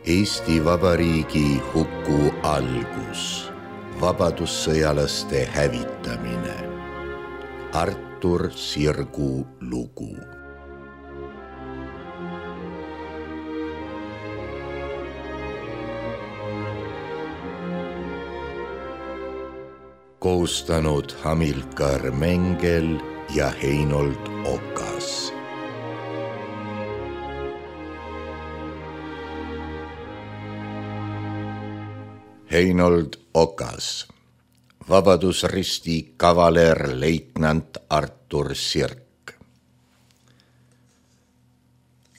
Eesti Vabariigi huku algus, vabadussõjalaste hävitamine. Artur Sirgu lugu. Koostanud Hamilkar Mengel ja Heinold Okas. Heinold Okas, Vabadusristi kavalerleitnant Artur Sirk.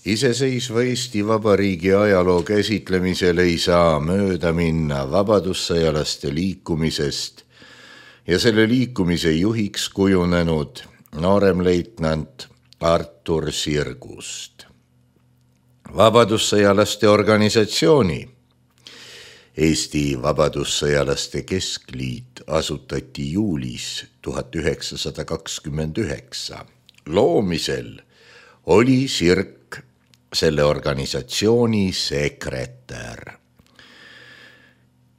Iseseisva Eesti Vabariigi ajaloo käsitlemisel ei saa mööda minna vabadussõjalaste liikumisest ja selle liikumise juhiks kujunenud nooremleitnant Artur Sirgust. Vabadussõjalaste organisatsiooni Eesti Vabadussõjalaste Keskliit asutati juulis 1929. Loomisel oli Sirk selle organisatsiooni sekretär.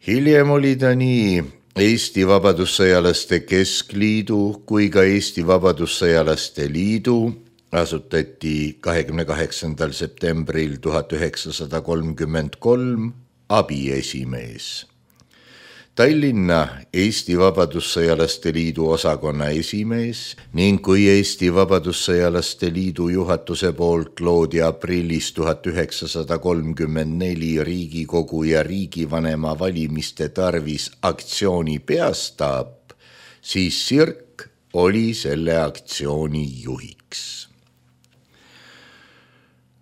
Hiljem oli ta nii Eesti Vabadussõjalaste Keskliidu kui ka Eesti Vabadussõjalaste Liidu asutati 28. septembril 1933 abiesimees. Tallinna Eesti Vabadussõjalaste Liidu osakonna esimees ning kui Eesti Vabadussõjalaste Liidu juhatuse poolt loodi aprillis 1934 Riigikogu ja riigivanema valimiste tarvis aktsiooni peastaap, siis Sirk oli selle aktsiooni juhiks.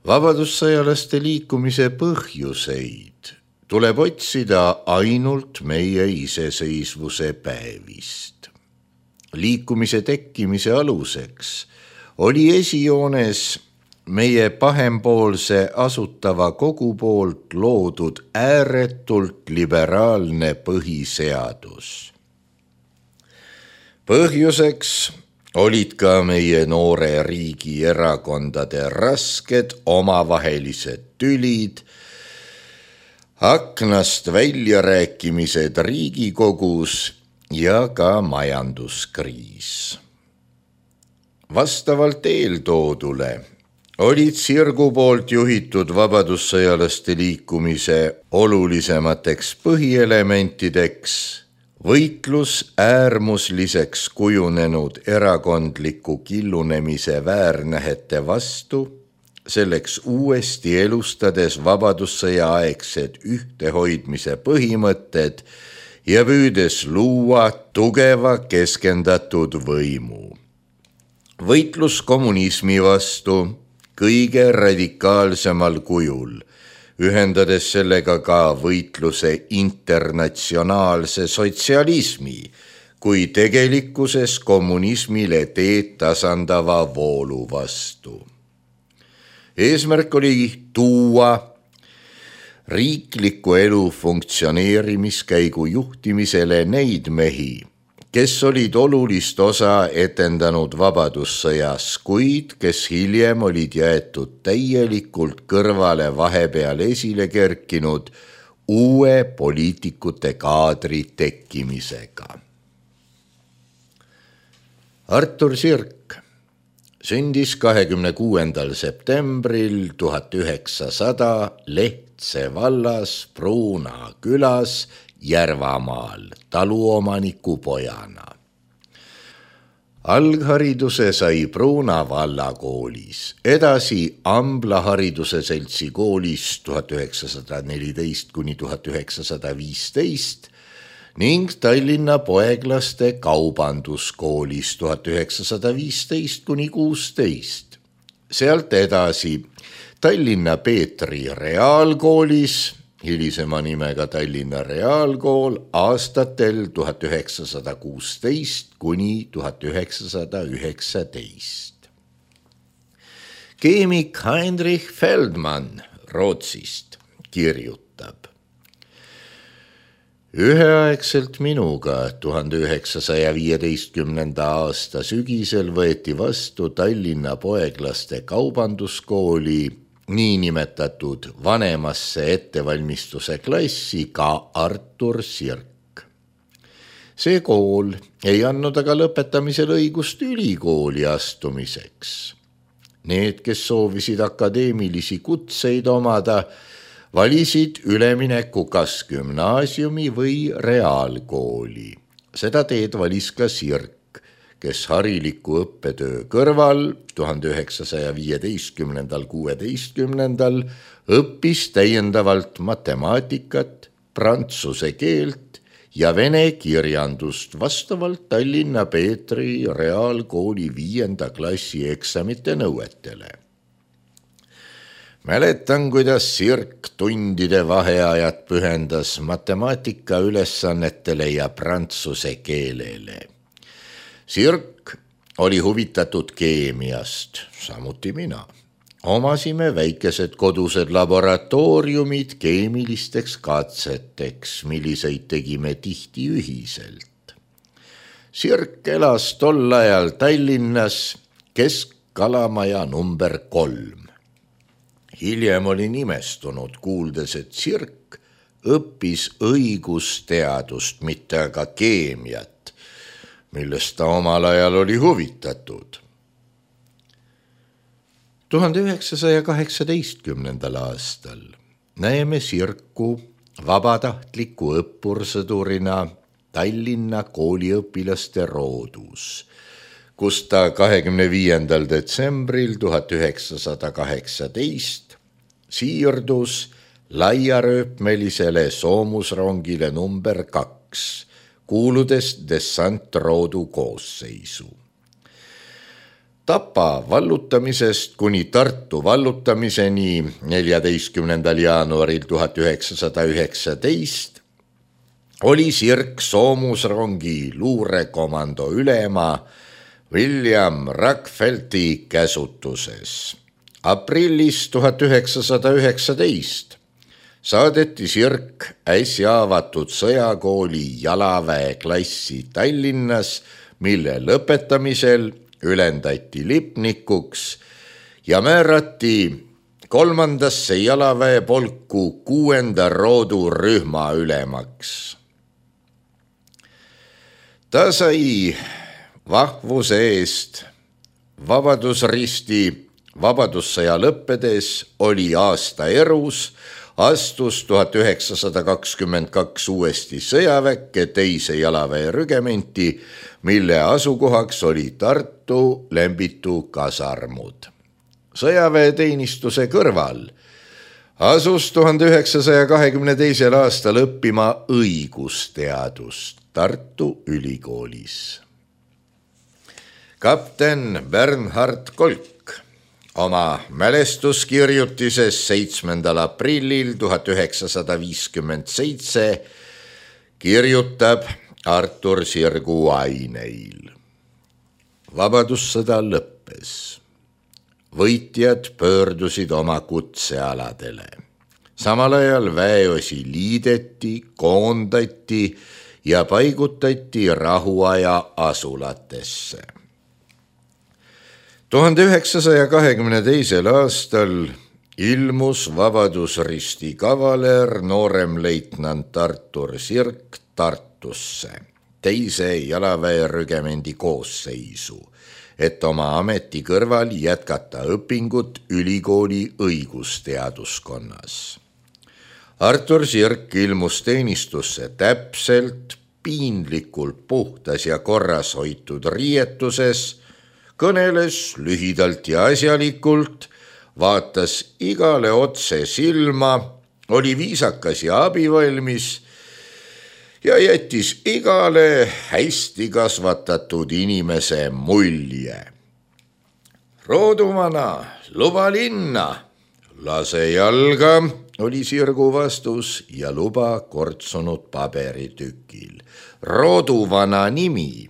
Vabadussõjalaste liikumise põhjuseid tuleb otsida ainult meie iseseisvuse päevist. Liikumise tekkimise aluseks oli esijoones meie pahempoolse asutava kogu poolt loodud ääretult liberaalne põhiseadus. Põhjuseks olid ka meie noore riigi erakondade rasked omavahelised tülid, aknast väljarääkimised Riigikogus ja ka majanduskriis. Vastavalt eeltoodule olid Sirgu poolt juhitud vabadussõjalaste liikumise olulisemateks põhielementideks võitlus äärmusliseks kujunenud erakondliku killunemise väärnähete vastu, selleks uuesti elustades vabadussõja aegsed ühtehoidmise põhimõtted ja püüdes luua tugeva keskendatud võimu. Võitlus kommunismi vastu kõige radikaalsemal kujul, ühendades sellega ka võitluse internatsionaalse sotsialismi, kui tegelikkuses kommunismile teed tasandava voolu vastu. Eesmärk oli tuua riikliku elu funktsioneerimiskäigu juhtimisele neid mehi, kes olid olulist osa etendanud vabadussõjas, kuid kes hiljem olid jäetud täielikult kõrvale vahepeal esile kerkinud uue poliitikute kaadri tekkimisega. Artur Sirk sündis 26. septembril 1900 Lehtse vallas Pruuna külas Järvamaal taluomaniku pojana. Alghariduse sai Pruuna vallakoolis, edasi Ambla hariduse seltsi koolis 1914–1915 ning Tallinna poeglaste kaubanduskoolis 1915–16. Sealt edasi Tallinna Peetri reaalkoolis, hilisema nimega Tallinna Reaalkool, aastatel 1916–1919. Keemik Heinrich Feldmann Rootsist kirjutab: üheaegselt minuga 1915. aasta sügisel võeti vastu Tallinna poeglaste kaubanduskooli niinimetatud vanemasse ettevalmistuse klassi ka Artur Sirk. See kool ei andnud aga lõpetamisel õigust ülikooli astumiseks. Need, kes soovisid akadeemilisi kutseid omada, valisid ülemineku kas gümnaasiumi või reaalkooli. Seda teed valis ka Sirk, kes hariliku õppetöö kõrval 1915–16 õppis täiendavalt matemaatikat, prantsuse keelt ja vene kirjandust vastavalt Tallinna Peetri reaalkooli 5. klassi eksamite nõuetele. Mäletan, kuidas Sirk tundide vaheajad pühendas matemaatika ülesannetele ja prantsuse keelele. Sirk oli huvitatud keemiast, samuti mina. Omasime väikesed kodused laboratooriumid keemilisteks katseteks, milliseid tegime tihti ühiselt. Sirk elas tol ajal Tallinnas Kesk-Kalamaja number 3. Hiljem olin imestunud, kuuldes, et Sirk õppis õigusteadust, mitte aga keemiat, millest ta omal ajal oli huvitatud. 1918. aastal näeme Sirku vabatahtliku õppursõdurina Tallinna kooliõpilaste roodus, kus ta 25. detsembril 1918 siirdus laiarööpmelisele soomusrongile number 2, kuuludes dessantroodu koosseisu. Tapa vallutamisest kuni Tartu vallutamiseni 14. jaanuaril 1919 oli Sirk soomusrongi luurekomando ülema William Rockefelleri käsutuses. Aprillis 1919 saadeti Sirk äsja avatud sõjakooli jalaväe klassi Tallinnas, mille lõpetamisel ülendati lipnikuks ja määrati 3. jalaväepolku 6. roodu rühma ülemaks. Ta sai vahvuse eest Vabadusristi. Vabadussõja lõppedes oli aasta erus, astus 1922 uuesti sõjaväkke 2. jalaväerügementi, mille asukohaks oli Tartu Lembitu kasarmud. Sõjaväeteenistuse kõrval asus 1922. aastal õppima õigusteadust Tartu ülikoolis. Kapten Bernhard Kolk oma mälestuskirjutises 7. aprillil 1957 kirjutab Artur Sirgu aineil. Vabadussõda lõppes. Võitjad pöördusid oma kutsealadele. Samal ajal väeosi liideti, koondati ja paigutati rahuaja asulatesse. 1922. aastal ilmus Vabadusristi kavaler nooremleitnant Artur Sirk Tartusse 2. jalaväerügemendi koosseisu, et oma ameti kõrval jätkata õpingut ülikooli õigusteaduskonnas. Artur Sirk ilmus teenistusse täpselt, piinlikult puhtas ja korras hoitud riietuses, kõneles lühidalt ja asjalikult, vaatas igale otse silma, oli viisakas ja abivalmis ja jättis igale hästi kasvatatud inimese mulje. Rooduvana, luba linna, lase jalga, oli Sirgu vastus ja luba kortsunud paberitükil. Rooduvana nimi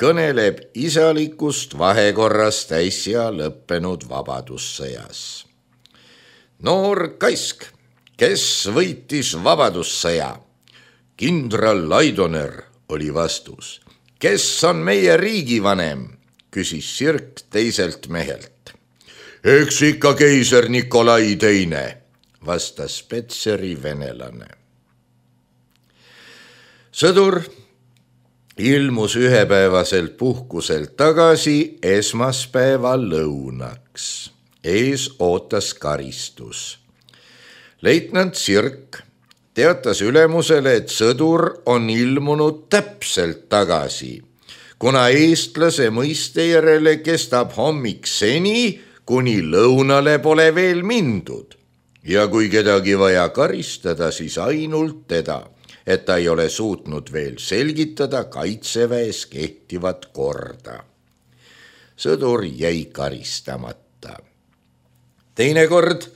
kõneleb isalikust vahekorrast äsja lõppenud vabadussõjas. Noor kaisk, kes võitis vabadussõja? Kindral Laidoner, oli vastus. Kes on meie riigivanem? Küsis Sirk teiselt mehelt. Eks ikka keiser Nikolai teine, vastas Petseri venelane. Sõdur ilmus ühepäevaselt puhkuselt tagasi esmaspäeva lõunaks. Ees ootas karistus. Leitnant Sirk teatas ülemusele, et sõdur on ilmunud täpselt tagasi, kuna eestlase mõiste järele kestab hommik seni, kuni lõunale pole veel mindud. Ja kui kedagi vaja karistada, siis ainult teda, et ta ei ole suutnud veel selgitada kaitseväes kehtivat korda. Sõdur jäi karistamata. Teinekord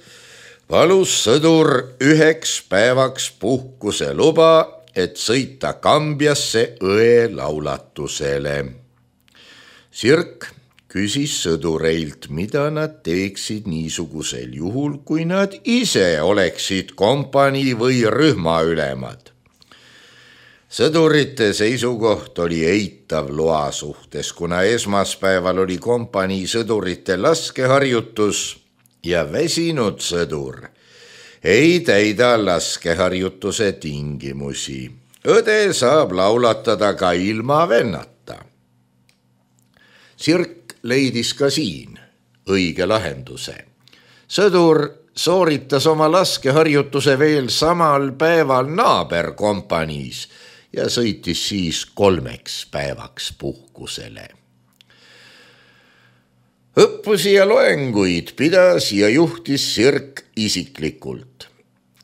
palus sõdur 1 päevaks puhkuse luba, et sõita Kambjasse õe laulatusele. Sirk küsis sõdureilt, mida nad teeksid niisugusel juhul, kui nad ise oleksid kompanii või rühma ülemad. Sõdurite seisukoht oli eitav loa suhtes, kuna esmaspäeval oli kompanii sõdurite laskeharjutus ja väsinud sõdur ei täida laskeharjutuse tingimusi. Õde saab laulatada ka ilma vennata. Sirk leidis ka siin õige lahenduse. Sõdur sooritas oma laskeharjutuse veel samal päeval naaberkompaniis ja sõitis siis 3 päevaks puhkusele. Õppusi ja loenguid pidas ja juhtis Sirk isiklikult,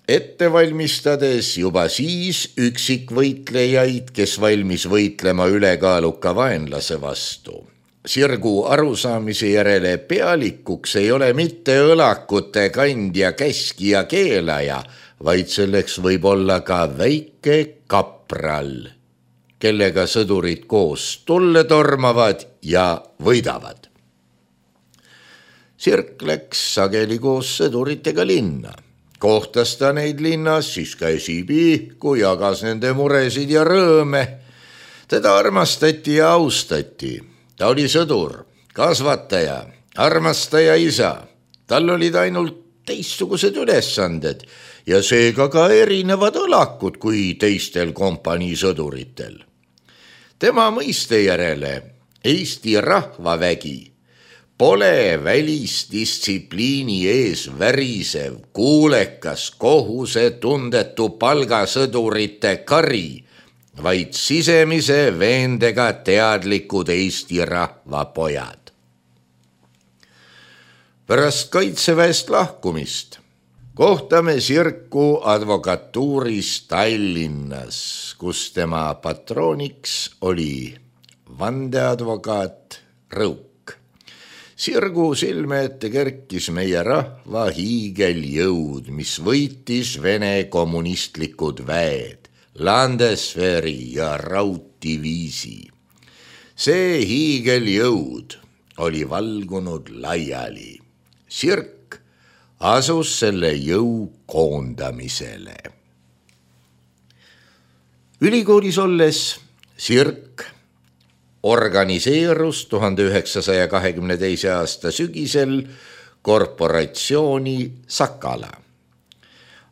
ette valmistades juba siis üksikvõitlejaid, kes valmis võitlema ülekaaluka vaenlase vastu. Sirgu arusaamise järele pealikuks ei ole mitte õlakute kandja, käskija, keelaja, vaid selleks võib olla ka väike kapral, kellega sõdurid koos tulle tormavad ja võidavad. Sirk läks sageli koos sõduritega linna. Kohtas ta neid linnas, siis käsi pihku, jagas nende muresid ja rõõme. Teda armastati ja austati. Ta oli sõdur, kasvataja, armastaja isa. Tal olid ainult teistsugused ülesanded ja seega ka erinevad õlakud kui teistel kompanii sõduritel. Tema mõiste järele Eesti rahvavägi pole välisdistsipliini ees värisev, kuulekas, kohusetundetu palgasõdurite kari, vaid sisemise veendega teadlikud Eesti rahva pojad. Pärast kaitseväest lahkumist kohtame Sirku advokatuuris Tallinnas, kus tema patrooniks oli vandeadvokaat Rõuk. Sirgu silme ette kerkis meie rahva hiigeljõud, mis võitis Vene kommunistlikud väed, Landesveri ja rauddiviisi. See hiigeljõud oli valgunud laiali. Sirk asus selle jõu koondamisele. Ülikoolis olles Sirk organiseerus 1922. aasta sügisel korporatsiooni Sakala.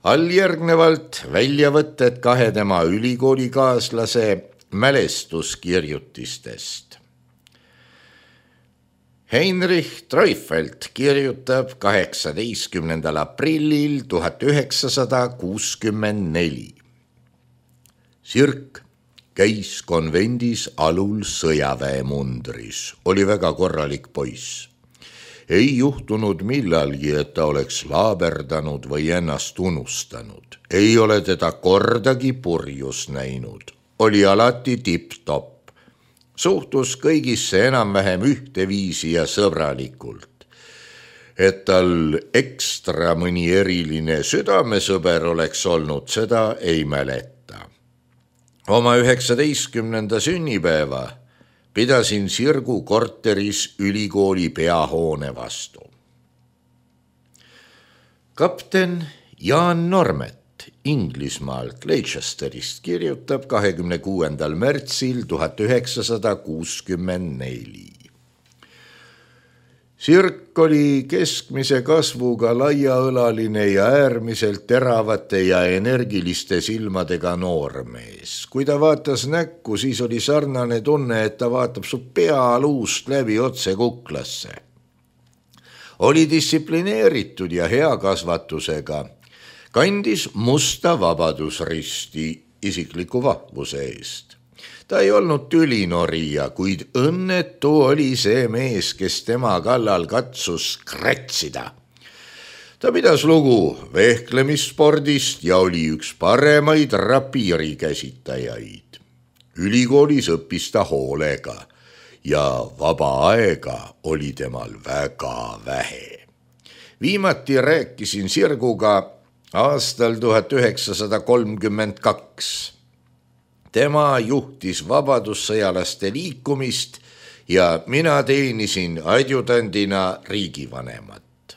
Alljärgnevalt väljavõtted 2 tema ülikoolikaaslase mälestuskirjutistest. Heinrich Treufelt kirjutab 18. aprillil 1964. Sirk käis konvendis alul sõjaväemundris, oli väga korralik poiss. Ei juhtunud millalgi, et ta oleks laaberdanud või ennast unustanud. Ei ole teda kordagi purjus näinud. Oli alati tipp-topp. Suhtus kõigisse enam-vähem ühteviisi ja sõbralikult. Et tal ekstra mõni eriline südamesõber oleks olnud, seda ei mäleta. Oma 19. sünnipäeva pidasin Sirgu korteris ülikooli peahoone vastu. Kapten Jaan Normet Inglismaalt Leicesterist kirjutab 26. märtsil 1964. Sirk oli keskmise kasvuga laiaõlaline ja äärmiselt teravate ja energiliste silmadega noormees. Kui ta vaatas näkku, siis oli sarnane tunne, et ta vaatab su pealuust läbi otse kuklasse. Oli distsiplineeritud ja hea kasvatusega. Kandis musta vabadusristi isikliku vahvuse eest. Ta ei olnud tülinorija, kuid õnnetu oli see mees, kes tema kallal katsus kratsida. Ta pidas lugu vehklemisspordist ja oli üks paremaid rapiiri käsitajaid. Ülikoolis õppis ta hoolega ja vaba aega oli temal väga vähe. Viimati rääkisin Sirguga aastal 1932. Tema juhtis vabadussõjalaste liikumist ja mina teenisin adjutandina riigivanemat.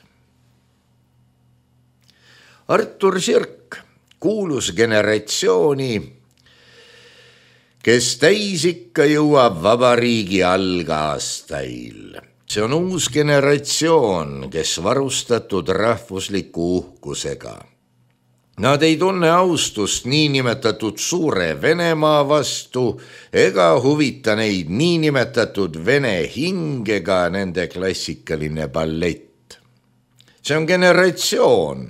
Artur Sirk kuulus generatsiooni, kes täisikka jõuab vabariigi algaastail. See on uus generatsioon, kes varustatud rahvusliku uhkusega. Nad ei tunne austust niinimetatud suure Venemaa vastu ega huvita neid niinimetatud vene hingega nende klassikaline ballett. See on generatsioon,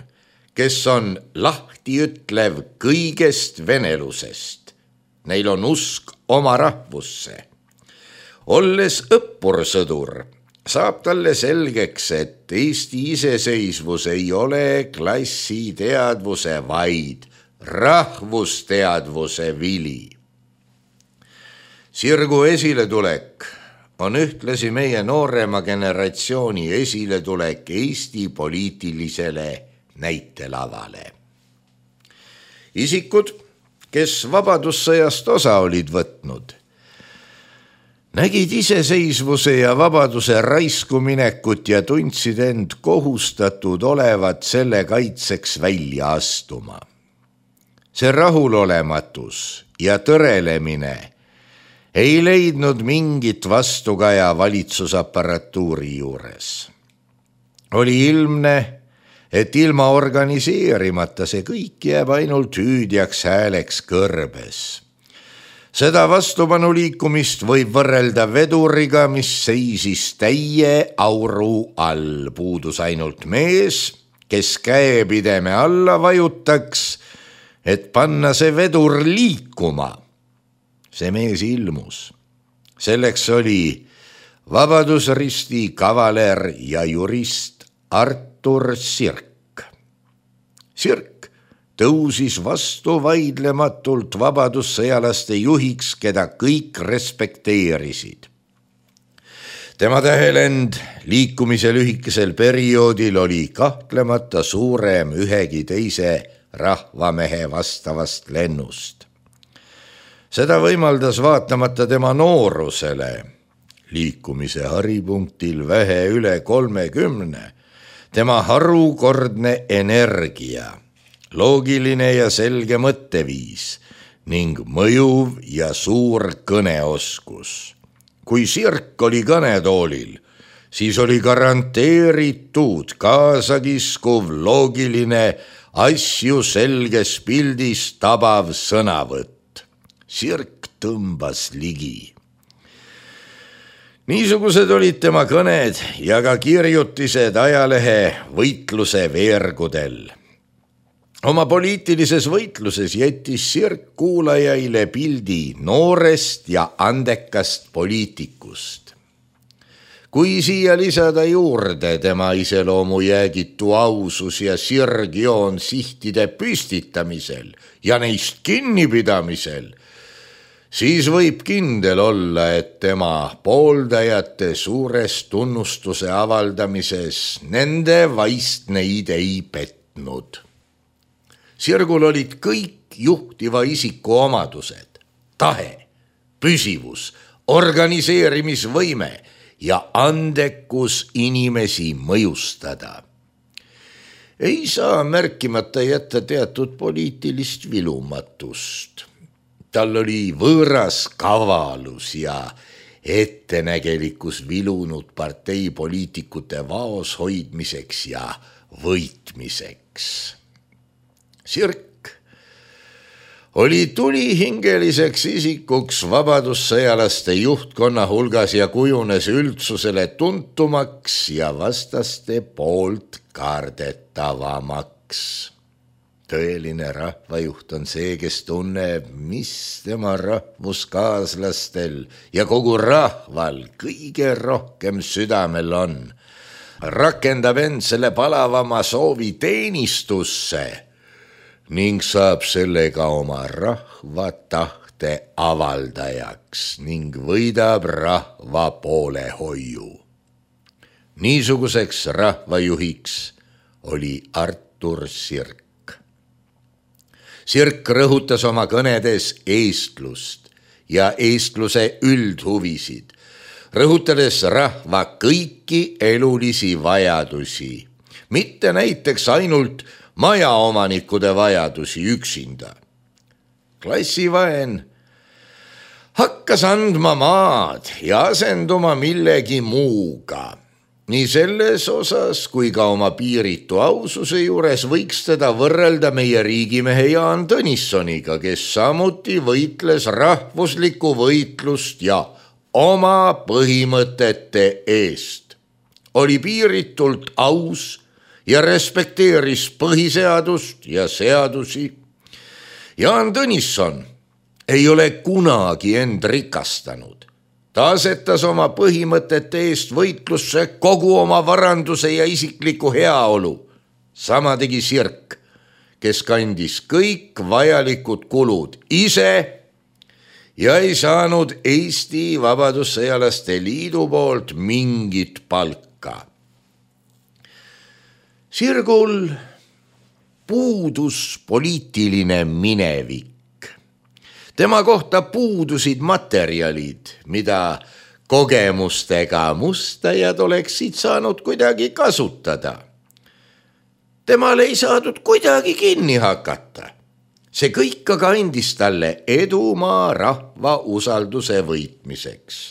kes on lahtiütlev kõigest venelusest. Neil on usk oma rahvusse. Olles õppursõdur, saab talle selgeks, et Eesti iseseisvus ei ole klassiteadvuse, vaid rahvusteadvuse vili. Sirgu esiletulek on ühtlasi meie noorema generatsiooni esiletulek Eesti poliitilisele näitelavale. Isikud, kes vabadussõjast osa olid võtnud, nägid iseseisvuse ja vabaduse raiskuminekut ja tundsid end kohustatud olevat selle kaitseks välja astuma. See rahulolematus ja tõrelemine ei leidnud mingit vastukaja valitsusapparatuuri juures. Oli ilmne, et ilma organiseerimata see kõik jääb ainult hüüdjaks hääleks kõrbes. Seda vastupanuliikumist võib võrrelda veduriga, mis seisis täie auru all. Puudus ainult mees, kes käepideme alla vajutaks, et panna see vedur liikuma. See mees ilmus. Selleks oli vabadusristi kavaler ja jurist Artur Sirk. Sirk tõusis vastu vaidlematult vabadussõjalaste juhiks, keda kõik respekteerisid. Tema tähelend liikumise lühikesel perioodil oli kahtlemata suurem ühegi teise rahvamehe vastavast lennust. Seda võimaldas vaatamata tema noorusele, liikumise haripunktil vähe üle 30, tema harukordne energia, loogiline ja selge mõtteviis ning mõjuv ja suur kõneoskus. Kui Sirk oli kõnetoolil, siis oli garanteeritud kaasakiskuv, loogiline, asju selges pildis tabav sõnavõtt. Sirk tõmbas ligi. Niisugused olid tema kõned ja ka kirjutised ajalehe võitluse veergudel. Oma poliitilises võitluses jättis Sirk kuulajaile pildi noorest ja andekast poliitikust. Kui siia lisada juurde tema iseloomu jäägitu ausus ja sirgjoon sihtide püstitamisel ja neist kinnipidamisel, siis võib kindel olla, et tema pooldajate suures tunnustuse avaldamises nende vaistneid ei petnud. Sirgul olid kõik juhtiva isiku omadused, tahe, püsivus, organiseerimisvõime ja andekus inimesi mõjustada. Ei saa märkimata jätta teatud poliitilist vilumatust. Tal oli võõras kavalus ja ettenägelikkus vilunud parteipoliitikute vaos hoidmiseks ja võitmiseks. Sirk oli tulihingeliseks isikuks vabadussõjalaste juhtkonna hulgas ja kujunes üldsusele tuntumaks ja vastaste poolt kardetavamaks. Tõeline rahvajuht on see, kes tunneb, mis tema rahvuskaaslastel ja kogu rahval kõige rohkem südamel on. Rakendab end selle palavama soovi teenistusse ning saab sellega oma rahva tahte avaldajaks ning võidab rahva poolehoiu. Niisuguseks rahvajuhiks oli Artur Sirk. Sirk rõhutas oma kõnedes eestlust ja eestluse üldhuvisid, rõhutades rahva kõiki elulisi vajadusi, mitte näiteks ainult majaomanikude vajadusi üksinda. Klassivaen hakkas andma maad ja asenduma millegi muuga. Nii selles osas kui ka oma piiritu aususe juures võiks teda võrrelda meie riigimehe Jaan Tõnissoniga, kes samuti võitles rahvuslikku võitlust ja oma põhimõtete eest. Oli piiritult aus ja respekteeris põhiseadust ja seadusi. Jaan Tõnisson ei ole kunagi end rikastanud. Ta asetas oma põhimõtete eest võitlusse kogu oma varanduse ja isikliku heaolu. Sama tegi Sirk, kes kandis kõik vajalikud kulud ise ja ei saanud Eesti Vabadussõjalaste Liidu poolt mingit palka. Sirgul puudus poliitiline minevik. Tema kohta puudusid materjalid, mida kogemustega mustajad oleksid saanud kuidagi kasutada. Temal ei saadud kuidagi kinni hakata. See kõik aga andis talle edumaa rahva usalduse võitmiseks.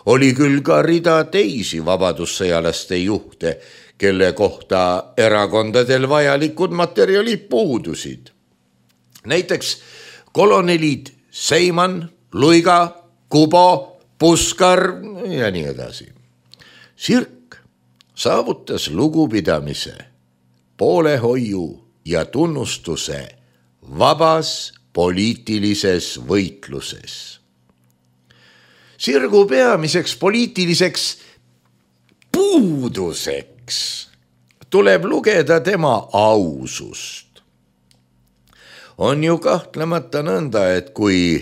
Oli küll ka rida teisi vabadussõjalaste juhte, kelle kohta erakondadel vajalikud materjalid puudusid. Näiteks kolonelid Seiman, Luiga, Kubo, Puskar ja nii edasi. Sirk saavutas lugupidamise, poolehoiu ja tunnustuse vabas poliitilises võitluses. Sirgu peamiseks poliitiliseks puuduseks tuleb lugeda tema ausust. On ju kahtlemata nõnda, et kui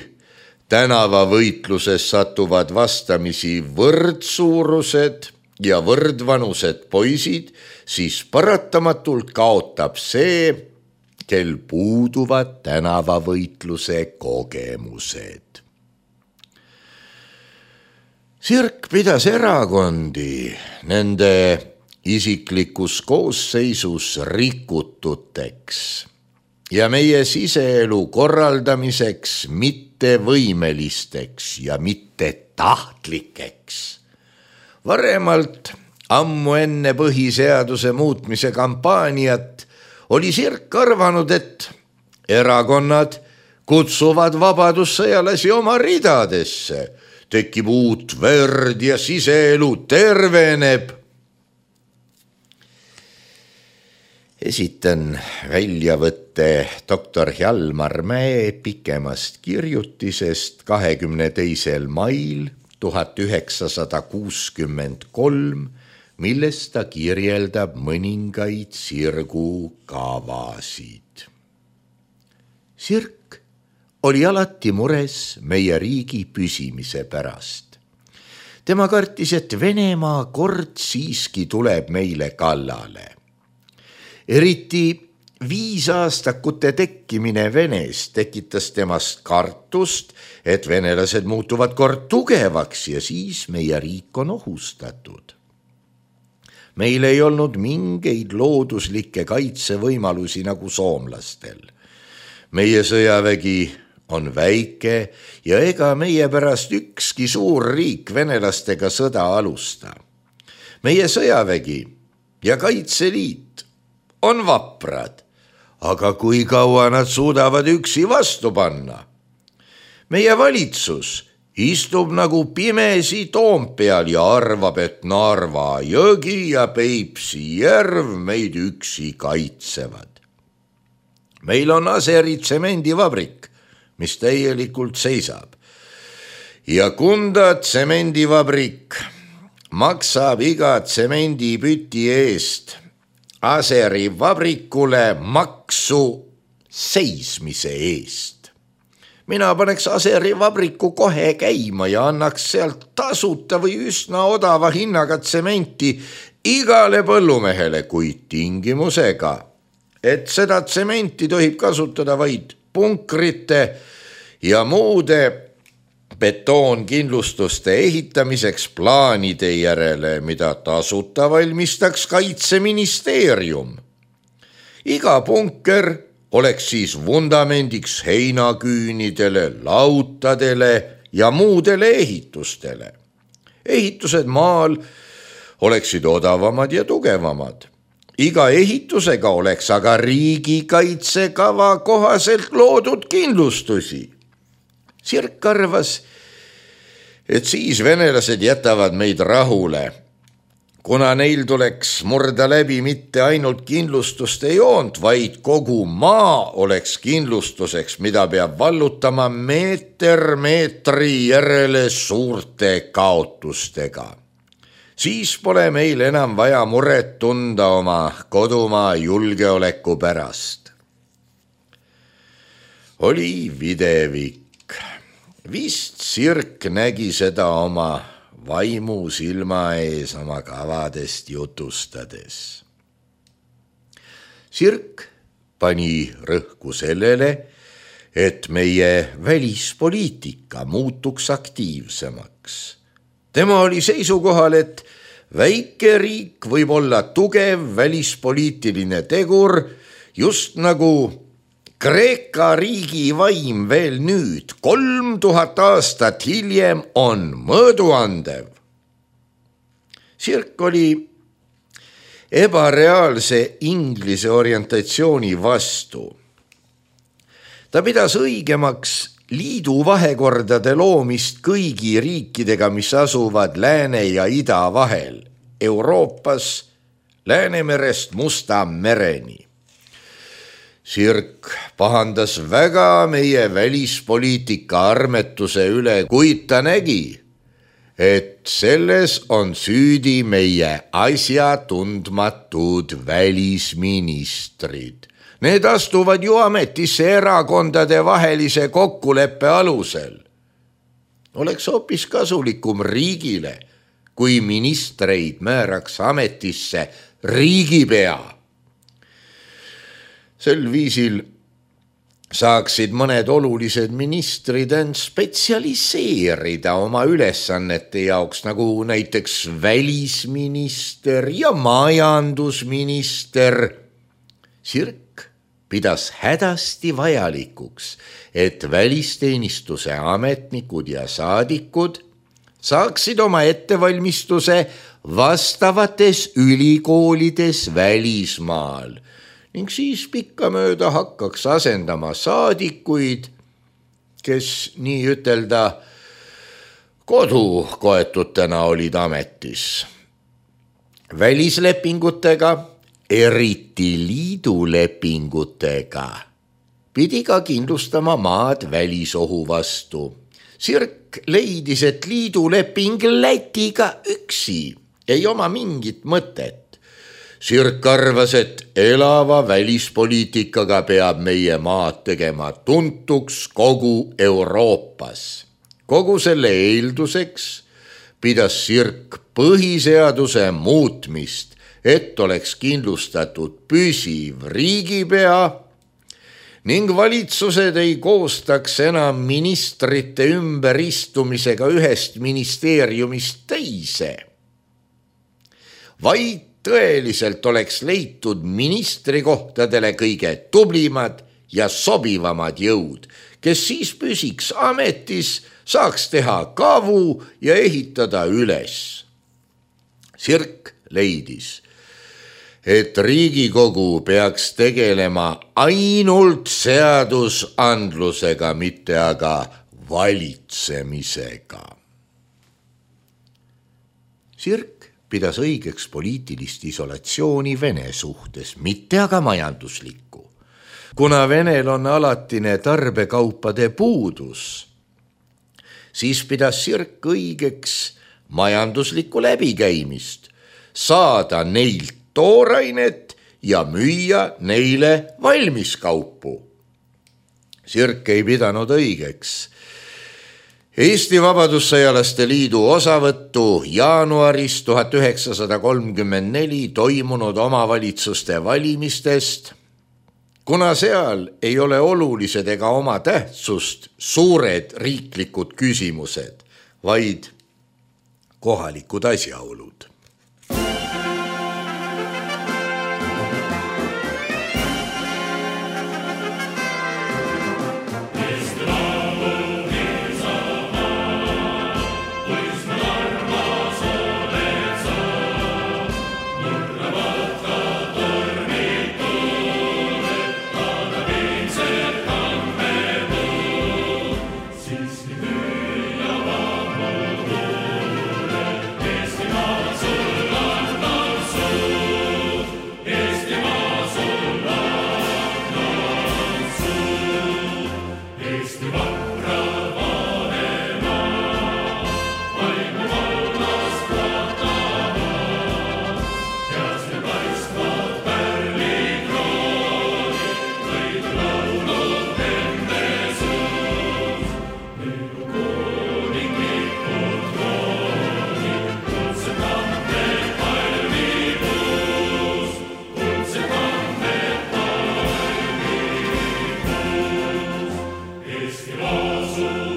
tänavavõitluses satuvad vastamisi võrdsuurused ja võrdvanused poisid, siis paratamatult kaotab see, kel puuduvad tänavavõitluse kogemused. Sirk pidas erakondi nende isiklikus koosseisus rikututeks ja meie siseelu korraldamiseks mittevõimelisteks ja mittetahtlikeks. Varemalt, ammu enne põhiseaduse muutmise kampaaniat, oli Sirk arvanud, et erakonnad kutsuvad vabadussõjalasi oma ridadesse, tekib uut verd ja siseelu terveneb. Esitan väljavõtte doktor Hjalmar Mäe pikemast kirjutisest 22. mail 1963, milles ta kirjeldab mõningaid Sirgu kavasid. Sirk oli alati mures meie riigi püsimise pärast. Tema kartis, et Venemaa kord siiski tuleb meile kallale. Eriti 5 aastakute tekkimine Venes tekitas temast kartust, et venelased muutuvad kord tugevaks ja siis meie riik on ohustatud. Meil ei olnud mingeid looduslikke kaitsevõimalusi nagu soomlastel. Meie sõjavägi on väike ja ega meie pärast ükski suur riik venelastega sõda alusta. Meie sõjavägi ja Kaitseliit on vaprad, aga kui kaua nad suudavad üksi vastu panna? Meie valitsus istub nagu pimesi Toompeal ja arvab, et Narva jõgi ja Peipsi järv meid üksi kaitsevad. Meil on Aseri tsemendivabrik, mis täielikult seisab. Ja Kunda tsemendivabrik maksab iga tsemendipüti eest Aseri vabrikule maksu seismise eest. Mina paneks Aseri vabriku kohe käima ja annaks sealt tasuta või üsna odava hinnaga tsementi igale põllumehele, kuid tingimusega, et seda tsementi tohib kasutada vaid punkrite ja muude betoonkindlustuste ehitamiseks plaanide järele, mida tasuta valmistaks Kaitseministeerium. Iga punker oleks siis vundamendiks heinaküünidele, lautadele ja muudele ehitustele. Ehitused maal oleksid odavamad ja tugevamad. Iga ehitusega oleks aga riigikaitsekava kohaselt loodud kindlustusi. Sirk arvas, et siis venelased jätavad meid rahule, kuna neil tuleks murda läbi mitte ainult kindlustuste joont, vaid kogu maa oleks kindlustuseks, mida peab vallutama meeter meetri järele suurte kaotustega. Siis pole meil enam vaja muret tunda oma kodumaa julgeoleku pärast. Oli videvik. Vist Sirk nägi seda oma vaimu silma ees oma kavadest jutustades. Sirk pani rõhku sellele, et meie välispoliitika muutuks aktiivsemaks. Tema oli seisukohal, et väike riik võib olla tugev välispoliitiline tegur, just nagu Kreeka riigi vaim veel nüüd, 3000 aastat hiljem on mõõduandev. Sirk oli ebareaalse Inglise orientatsiooni vastu. Ta pidas õigemaks liidu vahekordade loomist kõigi riikidega, mis asuvad Lääne ja Ida vahel, Euroopas, Läänemerest Musta mereni. Sirk pahandas väga meie välispoliitika armetuse üle, kuid ta nägi, et selles on süüdi meie asjatundmatud välisministrid. Need astuvad ju ametisse erakondade vahelise kokkuleppe alusel. Oleks hoopis kasulikum riigile, kui ministreid määraks ametisse riigipea. Sel viisil saaksid mõned olulised ministrid end spetsialiseerida oma ülesannete jaoks, nagu näiteks välisminister ja majandusminister. Sirk pidas hädasti vajalikuks, et välisteenistuse ametnikud ja saadikud saaksid oma ettevalmistuse vastavates ülikoolides välismaal ning siis pikkamööda hakkaks asendama saadikuid, kes nii ütelda kodukoetutena olid ametis. Välislepingutega, eriti liidulepingutega, pidi ka kindlustama maad välisohu vastu. Sirk leidis, et liiduleping Lätiga üksi ei oma mingit mõtet. Sirk arvas, et elava välispoliitikaga peab meie maad tegema tuntuks kogu Euroopas. Kogu selle eelduseks pidas Sirk põhiseaduse muutmist, et oleks kindlustatud püsiv riigipea ning valitsused ei koostaks enam ministrite ümberistumisega ühest ministeeriumist teise, vaid tõeliselt oleks leitud ministrikohtadele kõige tublimad ja sobivamad jõud, kes siis püsiks ametis, saaks teha kavu ja ehitada üles. Sirk leidis, et Riigikogu peaks tegelema ainult seadusandlusega, mitte aga valitsemisega. Sirk pidas õigeks poliitilist isolatsiooni Vene suhtes, mitte aga majanduslikku. Kuna Venel on alatine tarbekaupade puudus, siis pidas Sirk õigeks majanduslikku läbikäimist, saada neilt toorainet ja müüa neile valmiskaupu. Sirk ei pidanud õigeks Eesti Vabadussõjalaste Liidu osavõttu jaanuaris 1934 toimunud omavalitsuste valimistest, kuna seal ei ole olulised ega oma tähtsust suured riiklikud küsimused, vaid kohalikud asjaolud. Asu